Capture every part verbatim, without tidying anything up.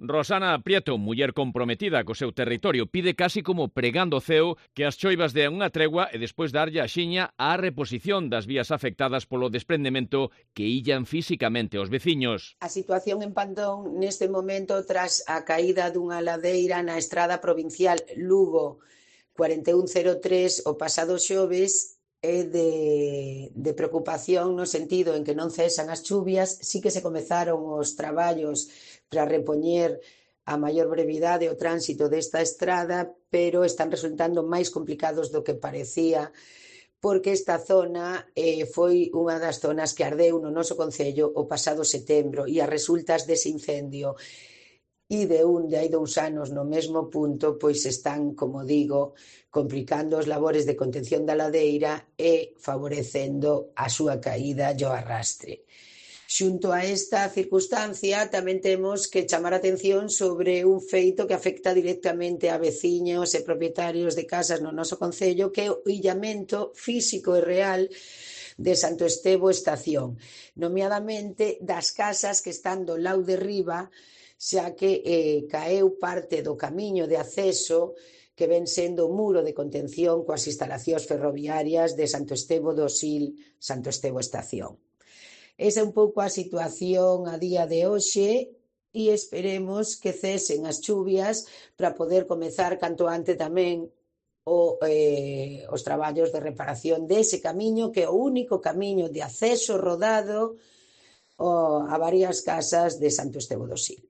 Rosana Prieto, muller comprometida co seu territorio, pide casi como pregando o ceo que as choivas dean unha tregua e despois darlle a xiña á reposición das vías afectadas polo desprendemento que illan físicamente os veciños. A situación en Pantón neste momento tras a caída dunha ladeira na estrada provincial Lugo cuarenta e un cero tres o pasado xoves é de, de preocupación no sentido en que non cesan as chuvias, sí que se comezaron os traballos para repoñer a maior brevidade o tránsito desta estrada, pero están resultando máis complicados do que parecía, porque esta zona eh, foi unha das zonas que ardeu no noso concello o pasado setembro e as resultas dese incendio e de un de hai dous anos no mesmo punto, pois están, como digo, complicando os labores de contención da ladeira e favorecendo a súa caída e o arrastre. Xunto a esta circunstancia, tamén temos que chamar a atención sobre un feito que afecta directamente a veciños e propietarios de casas no noso concello, que é o illamento físico e real de Santo Estevo Estación, nomeadamente das casas que están do lado de riba, xa que eh, caeu parte do camiño de acceso que ven sendo o muro de contención coas instalacións ferroviarias de Santo Estevo do Sil, Santo Estevo Estación. Esa é un pouco a situación a día de hoxe e esperemos que cesen as chuvias para poder comezar canto antes tamén o, eh, os traballos de reparación dese camiño que é o único camiño de acceso rodado o, a varias casas de Santo Estevo do Sil,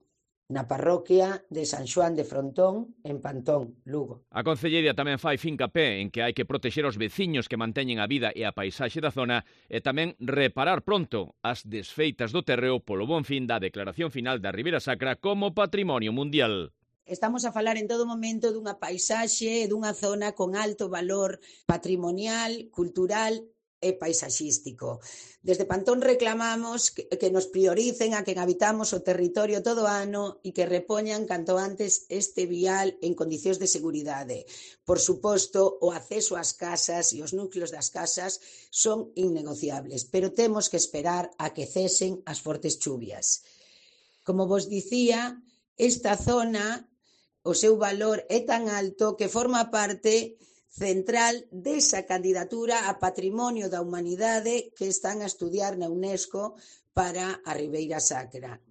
na parroquia de San Xoán de Frontón, en Pantón, Lugo. A Concellería tamén fai fincapé en que hai que protexer os veciños que manteñen a vida e a paisaxe da zona e tamén reparar pronto as desfeitas do terreo polo bon fin da declaración final da Ribeira Sacra como Patrimonio Mundial. Estamos a falar en todo momento dunha paisaxe e dunha zona con alto valor patrimonial, cultural e paisaxístico. Desde Pantón reclamamos que, que nos prioricen a quen habitamos o territorio todo ano e que repoñan canto antes este vial en condicións de seguridade. Por suposto, o acceso ás casas e os núcleos das casas son innegociables, pero temos que esperar a que cesen as fortes chuvias. Como vos dicía, esta zona, o seu valor é tan alto que forma parte central desa candidatura a Patrimonio da Humanidade que están a estudiar na UNESCO para a Ribeira Sacra.